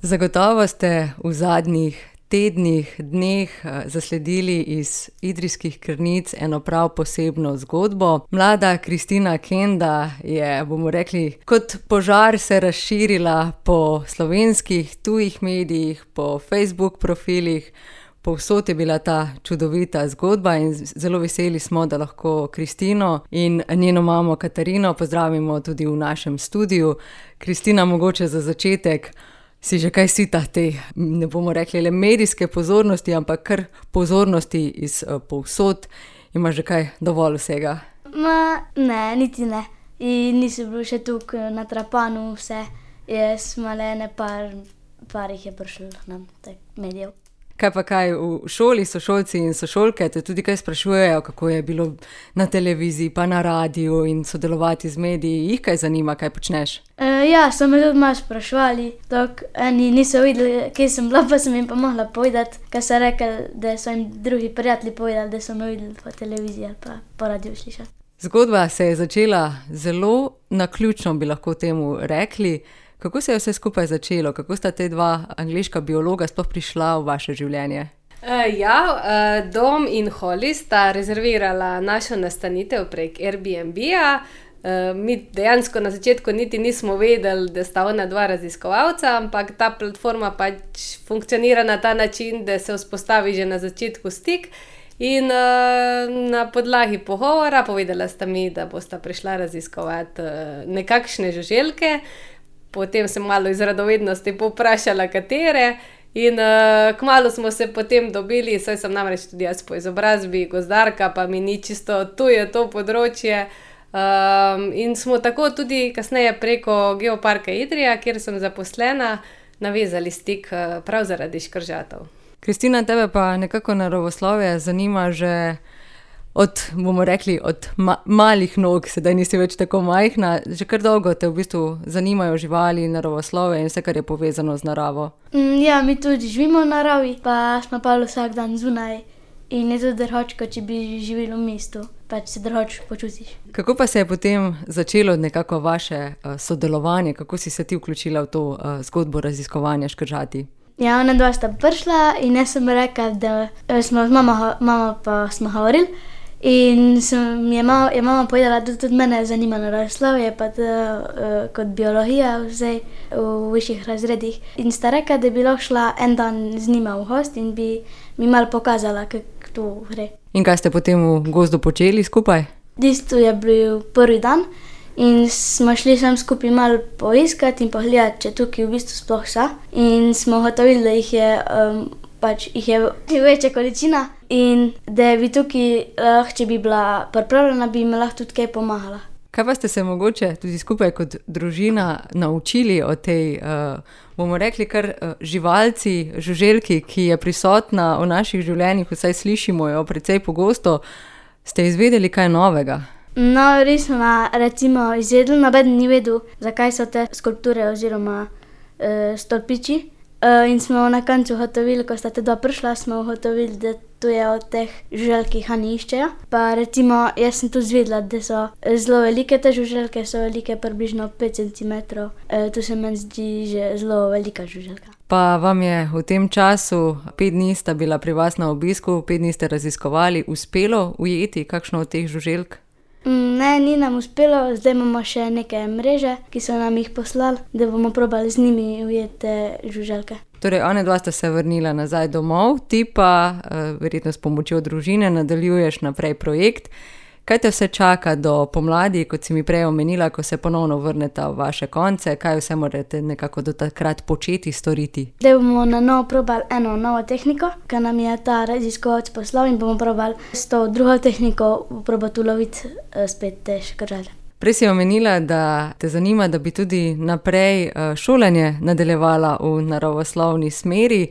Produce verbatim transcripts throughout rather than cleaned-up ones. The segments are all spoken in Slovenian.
Zagotovo ste v zadnjih tednih, dneh zasledili iz Idrijskih Krnic eno prav posebno zgodbo. Mlada Kristina Kenda je, bomo rekli, kot požar se razširila po slovenskih, tujih medijih, po Facebook profilih. Povsod je bila ta čudovita zgodba in zelo veseli smo, da lahko Kristino in njeno mamo Katarino pozdravimo tudi v našem studiu. Kristina, mogoče za začetek, si že kaj sita te, ne bomo rekli le medijske pozornosti, ampak kar pozornosti iz povsod. Imaš že kaj dovolj vsega? Ma, ne, niti ne. In nisem bil še tukaj na Trapanu vse. Jaz malo ene par, par jih je prišlo nam, tak medijev. Kaj pa kaj, v šoli sošolci in sošolke te tudi kaj sprašujejo, kako je bilo na televiziji pa na radiju in sodelovati z mediji? Jih kaj zanima, kaj počneš? E, ja, so me tudi malo spraševali. Tok, eni niso videli, kje sem bila, pa sem jim pa mogla povedati, kaj so rekli, da so jim drugi prijatelji povedali, da so me videli po televiziji ali pa po radiju slišali. Zgodba se je začela zelo naključno, bi lahko temu rekli. Kako se je vse skupaj začelo? Kako sta te dva angleška biologa sploh prišla v vaše življenje? Uh, ja, uh, Dom in Holly sta rezervirala našo nastanitev prek Airbnb-a. Uh, mi dejansko na začetku niti nismo vedeli, da sta ona dva raziskovalca, ampak ta platforma pač funkcionira na ta način, da se vzpostavi že na začetku stik. In uh, na podlagi pogovora povedala sta mi, da bosta prišla raziskovati uh, nekakšne žuželke. Potem sem malo iz radovednosti povprašala, katere, in uh, kmalu smo se potem dobili, saj sem namreč tudi jaz po izobrazbi gozdarka, pa mi ni čisto tuje to področje. Um, in smo tako tudi kasneje preko Geoparka Idrija, kjer sem zaposlena, navezali stik uh, prav zaradi škržatov. Kristina, tebe pa nekako naravoslovje zanima že od, bomo rekli, od ma- malih nog, sedaj nisi več tako majhna, že kar dolgo te v bistvu zanimajo živali, naravoslovje in vse, kar je povezano z naravo. Mm, ja, mi tudi živimo v naravi, pa smo pa vsak dan zunaj in je tudi drhočko, če bi živeli v mestu, pač se drhoč počutiš. Kako pa se je potem začelo nekako vaše uh, sodelovanje, kako si se ti vključila v to uh, zgodbo raziskovanja škržati? Ja, ona dva sta prišla in jaz sem rekla, da smo z mama, mama pa smo govorili. In sem, je, mama, je mama povedala, da tudi mene zanima naravoslovje, pa da uh, kot biologija vse v višjih razredih. In sta rekla, da bi lahko šla en dan z njima v gost in bi mi malo pokazala, kako to gre. In kaj ste potem v gozdu počeli skupaj? Tisto je bil prvi dan in smo šli sem skupaj malo poiskati in pogledati, če tukaj v bistvu sploh so. In smo gotovili, da jih je, um, pač jih je večja količina. In da bi tukaj, lahko, če bi bila pripravljena, bi mi lahko tudi kaj pomagala. Kaj pa ste se mogoče tudi skupaj kot družina naučili o tej, uh, bomo rekli, kar uh, živalci, žuželki, ki je prisotna v naših življenjih, vsaj slišimo jo precej pogosto, ste izvedeli kaj novega? No, res smo recimo izvedeli, noben ni vedel, zakaj so te skulpture oziroma uh, stolpiči. Uh, in smo na koncu ugotovili, ko sta te dva prišla, smo ugotovili, da to je od teh žuželk, ki jih oni iščejo. Pa recimo, jaz sem tu zvedela, da so zelo velike te žuželke, so velike približno pet centimetrov. Uh, to se meni zdi že zelo velika žuželka. Pa vam je v tem času, pet dni sta bila pri vas na obisku, pet dni ste raziskovali, uspelo ujeti kakšno od teh žuželk? Ne, ni nam uspelo, zdaj imamo še neke mreže, ki so nam jih poslali, da bomo probali z njimi ujeti te žuželke. Torej, one dva sta se vrnila nazaj domov, ti pa, verjetno s pomočjo družine, nadaljuješ naprej projekt. Kaj te vse čaka do pomladi, kot si mi prej omenila, ko se ponovno vrneta v vaše konce? Kaj vse morate nekako do takrat početi, storiti? Da bomo na novo probali eno novo tehniko, ki nam je ta raziskovalec poslal in bomo probali s to drugo tehniko probati uloviti spet te škržate. Prej si omenila, da te zanima, da bi tudi naprej šolanje nadaljevala v naravoslovni smeri.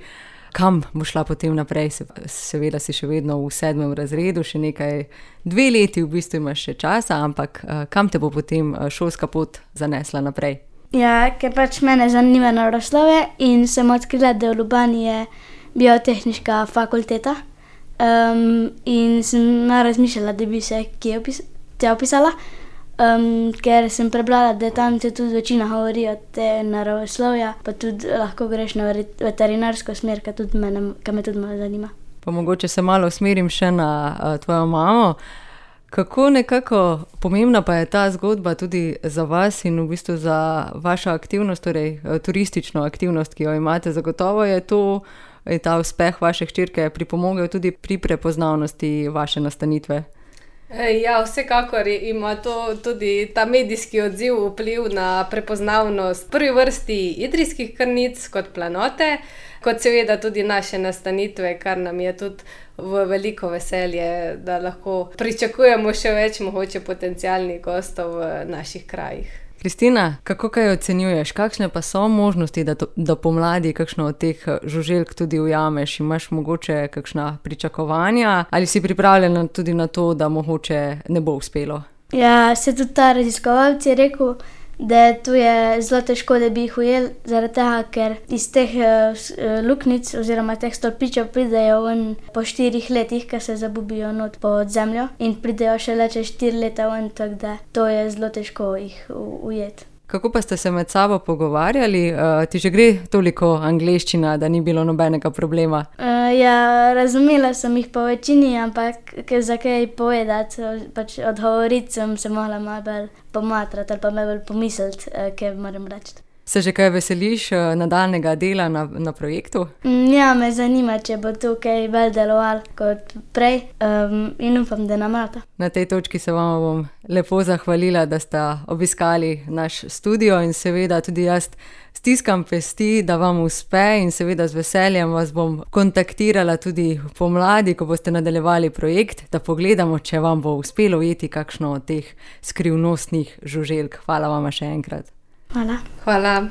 Kam bo šla potem naprej? Seveda si še vedno v sedmem razredu, še nekaj, dve leti v bistvu imaš še časa, ampak kam te bo potem šolska pot zanesla naprej? Ja, ker pač mene zanima naravoslovje in sem odkrila, da v Ljubljani je biotehniška fakulteta um, in sem razmišljala, da bi se kje opis- tja opisala. um, ker sem prebrala, da tam se tudi večina govori o te naravoslovja, pa tudi lahko greš na veterinarsko smer, ki tudi mene, ki me tudi malo zanima. Pa mogoče se malo usmerim še na uh, tvojo mamo. Kako nekako pomembna pa je ta zgodba tudi za vas in v bistvu za vašo aktivnost, torej turistično aktivnost, ki jo imate? Zagotovo je to, je ta uspeh vaše hčerke pripomogel tudi pri prepoznavnosti vaše nastanitve. Ja, vsekakor ima to tudi ta medijski odziv vpliv na prepoznavnost v prvi vrsti idrijskih krnic kot planote, kot seveda tudi naše nastanitve, kar nam je tudi v veliko veselje, da lahko pričakujemo še več mogoče potencialnih gostov v naših krajih. Kristina, kako kaj ocenjuješ? Kakšne pa so možnosti, da, to, da pomladi kakšno od teh žuželk tudi ujameš? Imaš mogoče kakšna pričakovanja? Ali si pripravljena tudi na to, da mogoče ne bo uspelo? Ja, se tudi ta raziskovalec je rekel, da tu je zelo težko, da bi jih ujel, zaradi tega, ker iz teh uh, luknic oziroma teh stolpičev pridejo ven po štirih letih, ki se zabubijo not pod zemljo in pridejo šele čez štiri leta ven, tako da to je zelo težko jih ujeti. Kako pa ste se med sabo pogovarjali? Uh, ti že gre toliko angleščina, da ni bilo nobenega problema? Uh, ja, razumela sem jih po večini, ampak za kaj povedati, pač odgovoriti sem se mogla malo bolj pomatrati ali pa malo bolj pomisliti, uh, kaj moram reči. Se že kaj veseliš uh, nadaljnega dela na, na projektu? Mm, ja, me zanima, če bo tu kaj bolj delovalo kot prej um, in upam, da nam rata. Na tej točki se vam bom lepo zahvalila, da ste obiskali naš studio in seveda tudi jaz stiskam pesti, da vam uspe in seveda z veseljem vas bom kontaktirala tudi pomladi, ko boste nadaljevali projekt, da pogledamo, če vam bo uspelo ujeti kakšno od teh skrivnostnih žuželk. Hvala vam še enkrat. Hvala. Hvala.